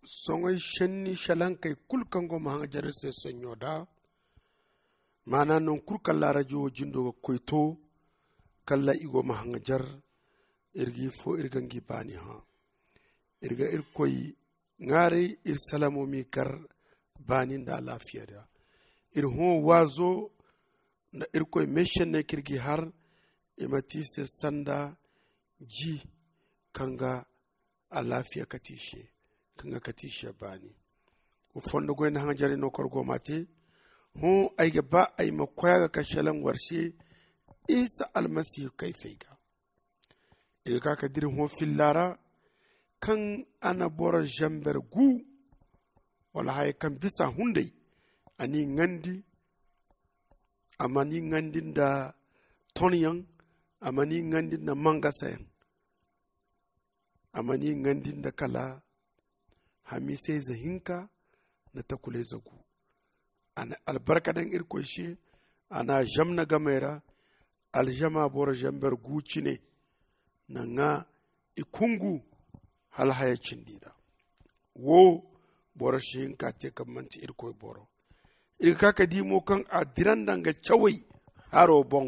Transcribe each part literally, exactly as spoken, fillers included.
soŋay senni salankey kulu kaŋ go ma haŋajar iri se sonɲo da. Maana naŋ kulu kaŋ laarajo wo jindo ga koy to, kala i go ma haŋajar. Iri ga ifo iri ga ngi baani hã. Iri ga irkoy ŋwaaray iri salamo m'i kar baani nda alaafiya ra. Iri hõ waazo nda irkoy meešenney kaŋ iri g'i har i ma ti i se sanda ji kaŋ ga alaafiya kate i se, kaŋ ga kate i se baani. Wa fondo goy nda haŋajarey no kaŋ war go m'a te. Hõ ay ga ba ay ma koy a ga ka šelaŋ war se isa almasihu kayfey ga. Iri ga ka ka dira hõ filla ra kaŋ a na boro zamber gu wala haya kaŋ bisa hunday. A n'i ŋandi. A mana i ŋandi nda tonyaŋ. A mana i ŋandi nda mangasayaŋ. A mana i ŋandi nda kala hamiisayze hinka nda takulayze gu. A na albarka daŋ irkoy se. A n'a zamna gamey ra. Alzama boro zamber gu cine na ŋwa i kungu hala haya cindi ra. Wo boro si hin ka te kaŋ manti irkoy boro. Iri ga ka ka di mo kaŋ a dira nda nga cawey haro boŋ.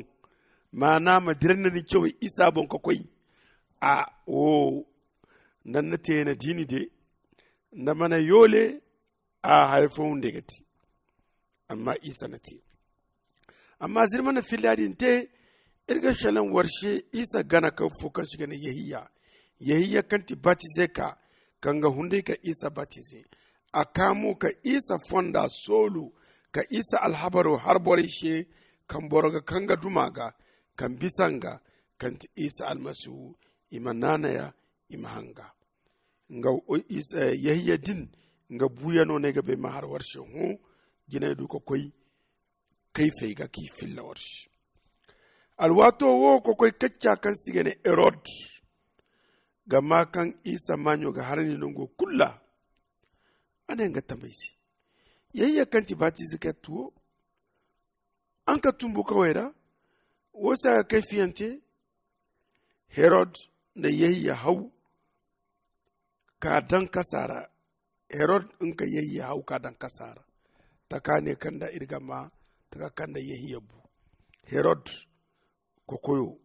Maana ma dira nda ni cawey isa boŋ ka koy. A wo nda ni na te na diini de nda mana yoole. A haya fo hunday ga te. Amma isa na te. Amma zirma na filla din te. Iri ga šelaŋ war se isa gana kaŋ fo kaŋ se i ga ne yehiya. Yehiya kaŋ ti batize ka kaŋ ga hunday ka isa batize. A ka mo ka isa fonda soolu ka isa alhabaro har borey se kaŋ boro ga kaŋ ga duma ga kaŋ bisa nga kaŋ ti isa almasihu. I ma naanaya i ma hanga nga. Yehiya din nga buuyano no ay ga bay ma har war se hõ. Jinay du ka koy kayfey ga k'i filla war se. Alwaato wo ka koy kacca kaŋ se i ga ne herod ga maa kaŋ isa maaɲo ga harandi nango kulu ra. A ne nga tamey se yehiya kaŋ ti batize ka yattu wo araŋ ka tumbu kawey ra. Wo se a ga kayfiyante. Herod na yehiya haw ka daŋ kasa ra. Herod nga ka yehiya haw ka daŋ kasa ra. Taka ne kaŋ nda iri ga maa taka kaŋ nda yehiya bu. Herod kokoyo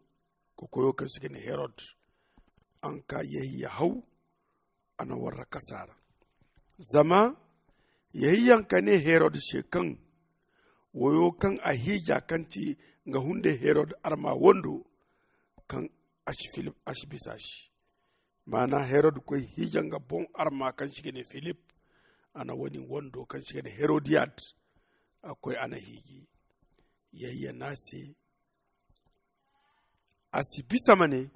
kokoyo kaŋ se i ga ne herod. Araŋ ka yehiya haw a na warra kasa ra. Zama yehiya nga ka ne herod se kaŋ woyo kaŋ a hiija kaŋ ti nga hunday herod arma wando kaŋ a si bisa a se. Maana herod koy hiija nga boŋ arma kaŋ se i ga ne filip. A na wo-din wando kaŋ se i ga ne herodiyad. A koy a na hiiji yehiya ne a se a si bisa ma ne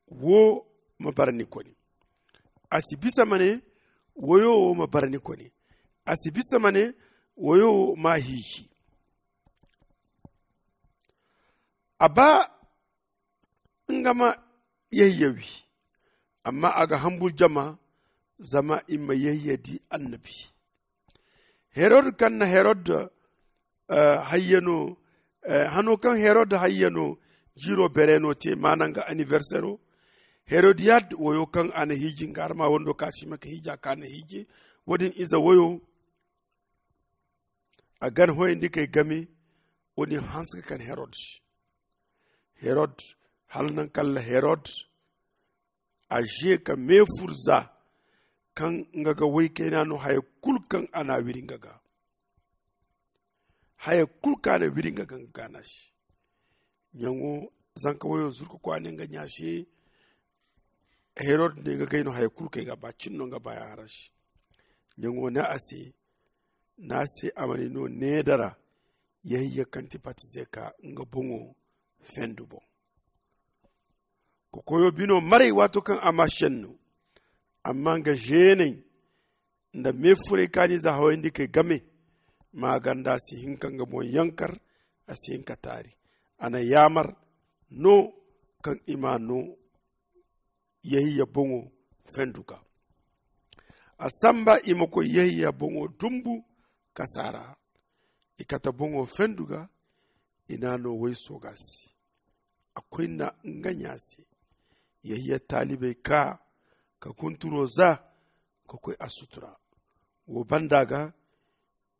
wo ma bara ni kone. A si bisa ma ne woyo wo ma bara ni kone. A si bisa ma ne woyo wo ma hiiji. A ba nga ma yehiya wi. Amma a ga hambur jama zama i ma yehiya di annabi. Herod kaŋ na herod hayyano hano kaŋ herod hayyano jiiro bereeno te maana nga anniversero. Herodiyad woyo kaŋ a na hiiji nga arma wando ka si ma ka hiija ka na hiije wo-din ize woyo. A gan hoyandi kay game. Wo-din hanse ka kan herod se. Herod hala naŋ kala herod a ze ka meefur za kaŋ nga ga woy kayna no haya kulu kaŋ a na a wiri nga ga. Haya kulu kaŋ a na wiri nga ga nga gaana se. Ɲaŋo zanka woyo zuru ka koy a ne nga ɲa se. Herod ne nga gay no haya kulu kaŋ ay ga ba cin no nga ba ya hara se. Ɲaŋo ne a se ne a se a ma ni no needara. Yehiya kaŋ ti batize ka nga boŋo fendu boŋ. Kokoyo bino maray waato kaŋ a ma senno amma nga zeeney nda meefuray kaaniize hawayandi kay game. Ma ganda a si hin ka nga boŋ yankar. A si hin ka taari a na yaamar no kaŋ i ma no yehiya boŋo fendu ga. A samba i ma koy yehiya boŋo dumbu kasa ra. I kate boŋo fendu ga i na a no wayso ga se. A koy na nga ɲa se. Yehiya taalibey kaa ka kunturo za ka koy a sutura. Wo banda ga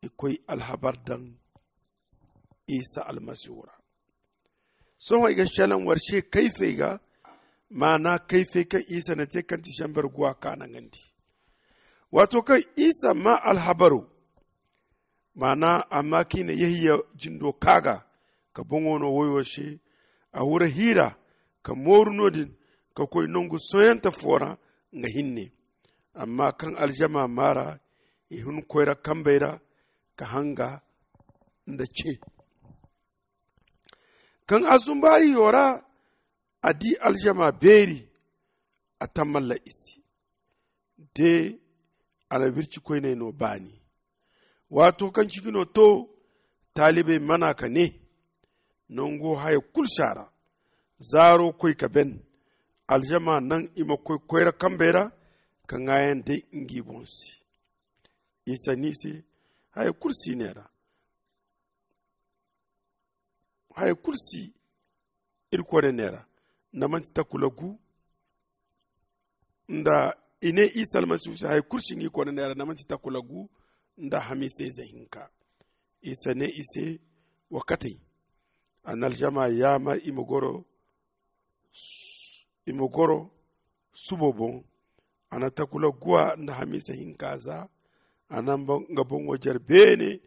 i koy alhabar daŋ isa almasihu ra. Sohõ i ga selaŋ war se kayfey ga, maana kayfey kaŋ isa na te kaŋ ti zamber guwa kaanangandi. Waato kaŋ isa maa alhabaro, maana a maa kaŋ i na yehiya jindo kaa ga, ka boŋo no woyo se. A hura hiira ka mooru no- din, ka koy nangu soyante fo ra nga hinne. Amma kaŋ aljama maa ra, i hun koyra kambey ra ka hanga nda ce. Kaŋ a zumbaari yo ra, a di aljama beeri, a tammalla i se. De a na wirci koyney no baani. Waato kaŋ ciji no to, taalibey mana ka ne, nango haya kulu si a ra. Zaaro koy ka ben. Aljama naŋ i ma koy koyra kambey ra ka ŋaayan day ngi boŋ se. Isa ni se, haya kulu si ne ra. Haya kulu si. Irkoy ne neera nda manti takula gu. Nda i ne isa almasihu se haya kulu si ngi koy ne neera nda manti takula gu nda hamiisa ize hinka. Isa ne i se, wa katay. A na aljama yaamar i ma goro. I ma goro subo boŋ. A na takula guwa nda hamiisa hinka za. A na nga boŋo jare beene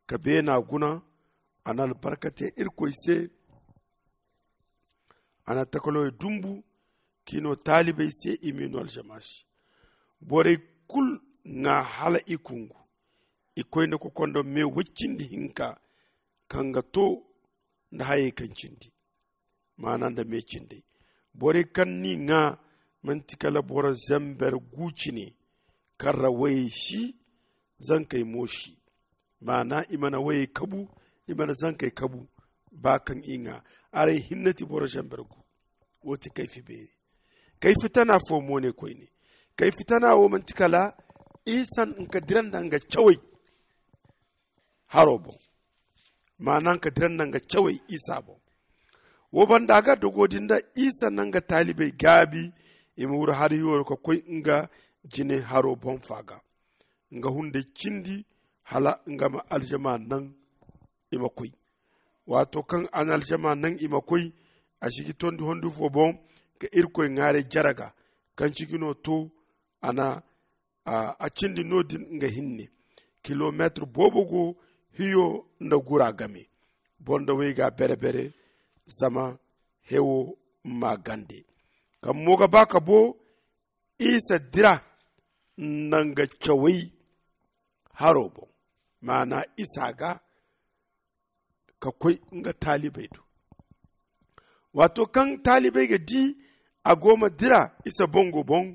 ka beena guna. A na albarka te irkoy se. A na takalawey dumbu k'i no taalibey se i m'i no aljama se. Borey kulu ŋwa hala i kungu. I koyne kokondo me way cindi hinka kaŋ ga to nda hayey kaŋ cindi. Maana nda me cindey. Borey kaŋ n'i ŋwa manti kala boro zamber gu cine. Kaŋ ra wayey si, zankey mo si. Maana i mana wayey kabu, i mana zankey kabu. Ba kaŋ i ŋwa, aray hinne ti boro zamber gu. Wo ti kayfi beeri. Kayfi tana fo mo ne koyne. Kayfi tana wo manti kala isa nka dira nda nga cawey haro boŋ. Maana nka dira nda nga cawey isa boŋ. Wo banda ga dogo din da isa na nga taalibey gaabi i ma wuro hari yoro ka koy nga jine haro boŋ fa ga. Nga hunday cindi hala nga ma aljama naŋ i ma koy. Waato kaŋ a na aljama naŋ i ma koy, a sigi tondi hondi fo boŋ ka irkoy ŋwaaray jaraga. Kaŋ ciji no to a na a cindi no- din nga hinne. Kilomeetir boobo go hiyo nda gura game. Boro nda way ga bere-bere zama hewo ma gande. Kaŋ mo ga ba ka bo isa dira nda nga cawey haro boŋ. Maana isa ga ka koy nga taalibey do. Waato kaŋ taalibey ga di a go ma dira isa boŋo boŋ,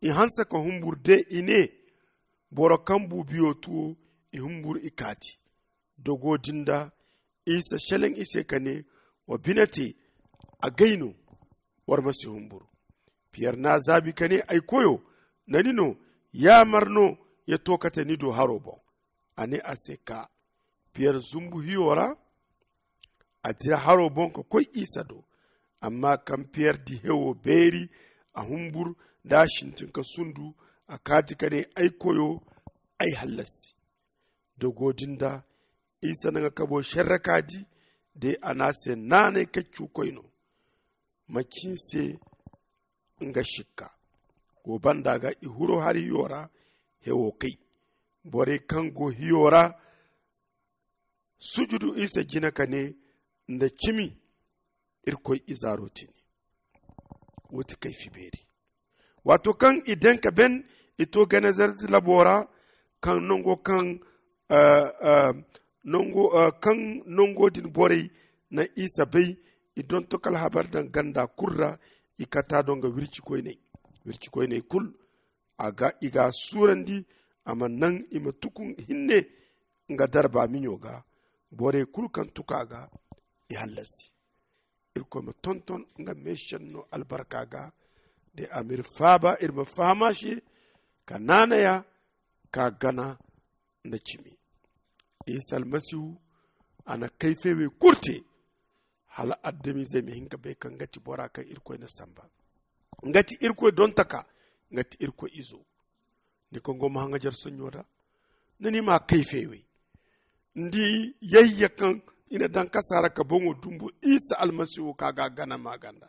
i hanse ka humburu de i ne, boro kaŋ bu biyo tuwo. I humburu i kaati. Dogo din da isa selaŋ i se ka ne, wa bine te. Agay no. War ma si humburu. Piyer n'a zaabi ka ne, ay koyo, nda ni no, yaamar no ya to kate ni do haro boŋ? A ne a se, kaa. Piyer zumbu hiyo ra. A dira haro boŋ ka koy isa do. Amma kaŋ piyer di hewo beeri, a humbur da a sintin ka sundu. A kaati ka ne, ay koyo, ay hallasi. Dogo din da isa na nga kabo serre ka di. De a na a se naanay kaccu koy no. Macin se nga sikka. Wo banda ga i huro hari hiyo ra. Hewo kay. Borey kaŋ go hiyo ra sujudu isa jina ka ne, nda cimi irkoy izaaro tini. Wo ti kayfi beeri. Waato kaŋ i daŋ ka ben, i to genesaret labo ra. Kaŋ nango kaŋ nango kaŋ nango din borey na isa bay. I donto kala habar daŋ ganda kulu ra. I kata do nga wirci koyney. Wirci koyney kulu a ga i ga a suurandi. A ma naŋ i ma tuku hinne nga darba miɲo ga. Borey kulu kaŋ tuku a ga i hallasi. Irkoy ma tonton nga meesenno albarka ga. De a ma iri faaba iri ma faham a se ka naanay a ka gana nda cimi. Isa almasihu a na kayfey wey kulu te hala adamizey ma hin ka bay kaŋ nga ti bora kaŋ irkoy na samba. Nga ti irkoy dontaka. nga ti irkoy izo. Ni kaŋ go ma haŋajar sonɲo da, ni ni ma kayfey wey. Ni di yayya kaŋ i na daŋ kasa ra ka boŋo dumbu isa almasihu ka ga a gana maaganda.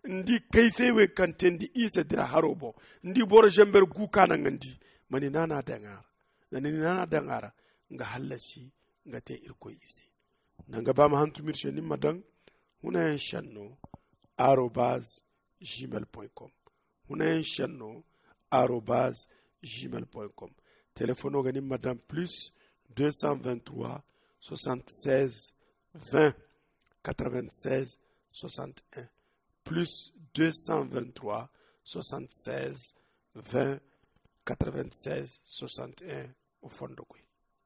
Ni di kayfey wey kaŋ te ni di isa dira haro boŋ. Ni di boro zamber gu ka naŋ nga ni di ma ni naana daŋ a ra. Zama ni naana daŋ a ra nga hallasi nga te irkoy ize. Naŋ ga ba ma hantum iri se ni ma daŋ hunayaŋ senno arobaz gmail point com. Hunayaŋ senno arobaz gmail point com. Telefono ga ni ma daŋ plus deux cent vingt trois soixante seize vingt quatre vingt seize soixante un. Plus deux cent vingt trois soixante seize vingt quatre vingt seize soixante un. O fondo koy.